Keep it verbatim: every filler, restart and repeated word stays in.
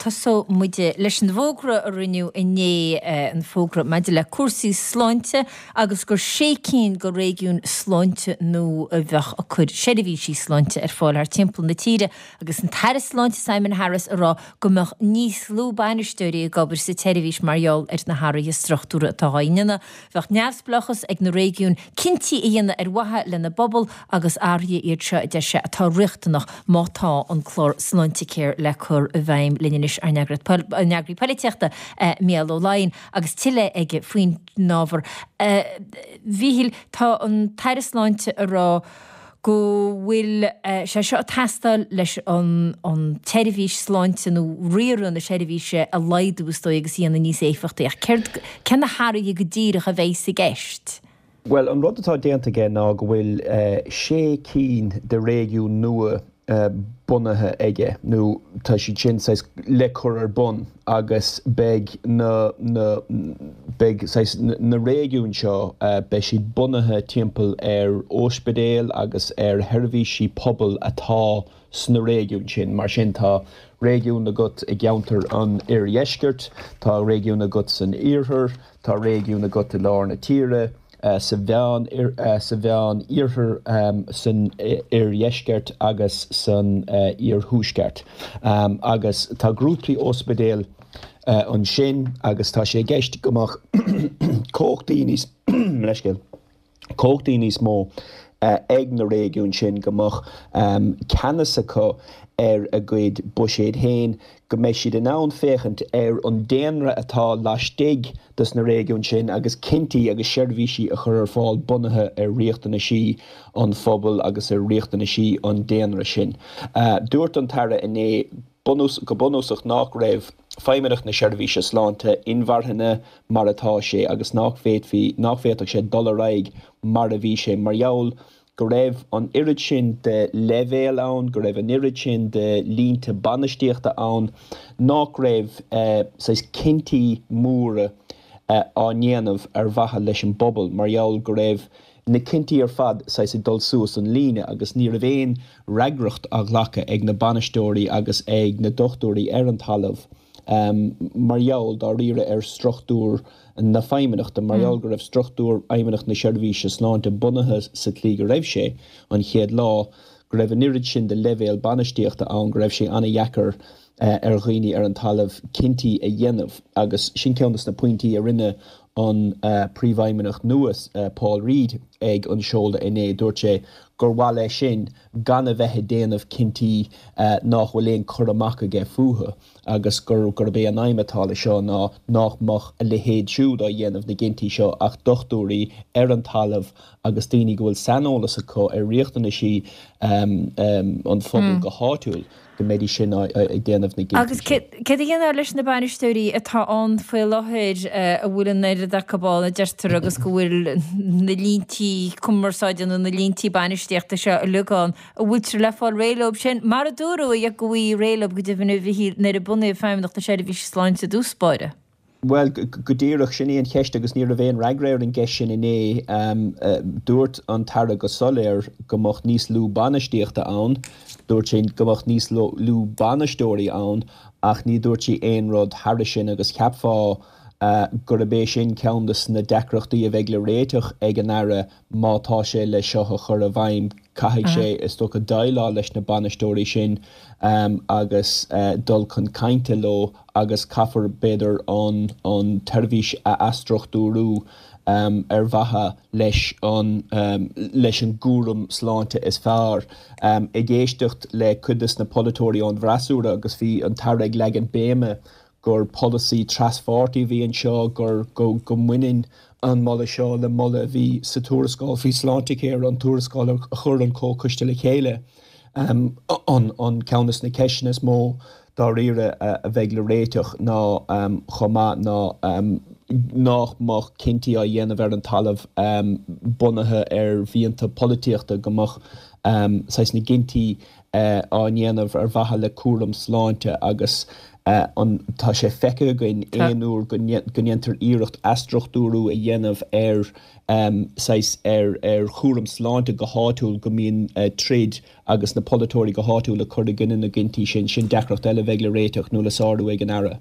Tosóidh muid leis an bhfógra a rinneadh inné, an fógra maidir le cúrsaí sláinte agus gur sé cinn de réigiúin sláinte nua a bheadh ag cur seirbhísí sláinte ar fáil thar timpeall na tíre agus an tAire Sláinte Simon Harris ag rá go mbeadh níos lú bainisteoirí ag obair sa tseirbhís mar gheall ar na hathruithe struchtúrtha atá á ndéanamh. Bheadh neamhspleáchas ag na réigiúin cinntí a dhéanamh ar mhaithe lena bpobal agus athruithe iad seo a deir sé atá riachtanach má tá an clár Sláintecare le cur i bhfeidhm. Linn anois ár n-eagraí polaitíochta Mícheál Ó Laighin agus tuilleadh aige faoin ábhar. A Mhíchíl, tá an tAire Sláinte ag rá go bhfuil sé seo ag teastáil leis an an tseirbhís sláinte nó riaradh na seirbhíse a laghdú is dóigh agus a dhéanamh níos éifeachtaí. Ach céard, cé na hathruithe go díreach a bheas i gceist? Bhuel, an rud atá déanta aige ná go bhfuil sé cinn de réigiún nua bunaithe aige, nó tá siad sin saghas le cur ar bun agus beidh na, na, beidh saghas na réigiúin seo, beidh siad bunaithe timpeall ar ospidéil agus ar sheirbhísí pobail atá sna réigiúin sin. Mar sin tá réigiún agat i gceantar an oirdheiscirt, tá réigiún agat san iarthar, tá réigiún agat i lár na tíre, sa mheán sa mheán iarthar, san oirdheisceart agus san iarthuaisceart. Agus tá grúpaí ospidéal ansin agus tá sé i gceist go mbeadh cumhachtaí níos leithscéal cumhachtaí níos mó ag na réigiúin sin, go mbeadh ceannas acu ar a gcuid buiséid féin, go mbeidh siad in ann féachaint ar an daonra atá laistigh dos na réigiúin sin agus cinntí agus seirbhísí a chur ar fáil bunaithe ar riachtanaisí an phobail agus ar riachtanaisí an daonra sin. Dúirt an tAire inné go bunúsach nach raibh Feidhmeannacht na Seirbhíse Sláinte inmharthana mar atá sé agus nach bhféadfaí, nach bhféadfadh sé dul ar aghaidh mar a bhí sé mar gheall go raibh an oiread sin de leibhéil ann, go raibh an oiread sin de línte bainistíochta ann nach raibh saghas cinntí móra á ndéanamh ar mhaithe leis an bpobal mar gheall go raibh na cinntí ar fad saghas ag dul suas an líne agus ní raibh aon fhreagracht á ghlacadh ag na bainisteoirí agus ag na dochtúirí ar an talamh mar gheall dáiríre ar struchtúr na feidhmeannachta, mar gheall go raibh struchtúr Fheidhmeannacht na Seirbhíse Sláinte bunaithe sa tslí go raibh sé an chéad lá, go raibh an oiread sin de leibhéal bainistíochta ann go raibh sé an-dheacair ar dhaoine ar an talamh cinntí a dhéanamh agus sin ceann de na pointí a rinne an Príomhfheidhmeannach nua, Paul Reid, ag an seoladh inné. Dúirt sé gur mhaith leis sin gan a bheith ag déanamh cinntí nach bhfuil aon chur amach aige fúthu agus gur gurb é an aidhm atá leis seo ná nach mbeadh a leithéid siúd á dhéanamh na gcinntí seo ach dochtúirí ar an talamh agus daoine go bhfuil saineolas acu ar riachtanaisí an phobail go háitiúil go mbeidís sin ag déanamh na gcinntí Agus sin. céard a dhéanfar leis na bainisteoirí atá ann faoi láthair a bhfuil an oiread acu ann a deirtear agus go bhfuil na líntí cumarsáide nó na líntí bainistíochta seo uilig ann, an bhfuiltear le fáil réidh leo sin, mar a dúradh go bhfaighfí réidh leo go deimhin a Mhichíl nuair a bunaíodh Feidhmeannacht na Seirbhíse Sláinte i dtús báire? Bhuel, go díreach, sin í an cheist agus ní raibh aon fhreagra ar an gceist sin inné. Dúirt an tAire go soiléir go mbeadh níos lú bainistíochta ann, dúirt sé go mbeadh níos lú bainisteoirí ann ach ní dúirt sé aon rud thairis sin agus cheapfá gurb é sin ceann de na deacrachtaí a bheidh le réiteach ag an Aire má tá sé le seo a chur i bhfeidhm. Caithfidh sé, is dócha, déileáil leis na bainisteoirí sin agus dul chun cainte leo agus caithfear, b'fhéidir, an an tseirbhís a athstruchtúrú ar mhaithe leis an leis an gcúram sláinte is fearr. Ag éisteacht le cuid de na polaiteoirí ón bhfreasúra agus bhí an tAire ag leagan béime gur polasaí traspháirtí a bhí anseo, gur go mbaineann an moladh seo le moladh a bhí sa tuarascáil faoi Sláintecare, an tuarascáil a chuir an Comhchoiste le chéile. An ceann de na ceisteanna is mó dáiríre a bheidh le réiteach ná chomh maith ná nach mbeadh cinntí á dhéanamh ar an talamh bunaithe ar mhianta polaitíochta, go mbeadh saghas na gcinntí á ndéanamh ar mhaithe le cúram sláinte agus An tá sé feicthe againn aon uair go ndéantar iarracht athstruchtúrú a dhéanamh ar saghas ar ar chúram sláinte go háitiúil go mbíonn troid agus na polaiteoirí go háitiúil ag cur i gcoinne na gcinntí sin. Sin deacracht eile a bheidh le réiteach nó le sárú ag an Aire.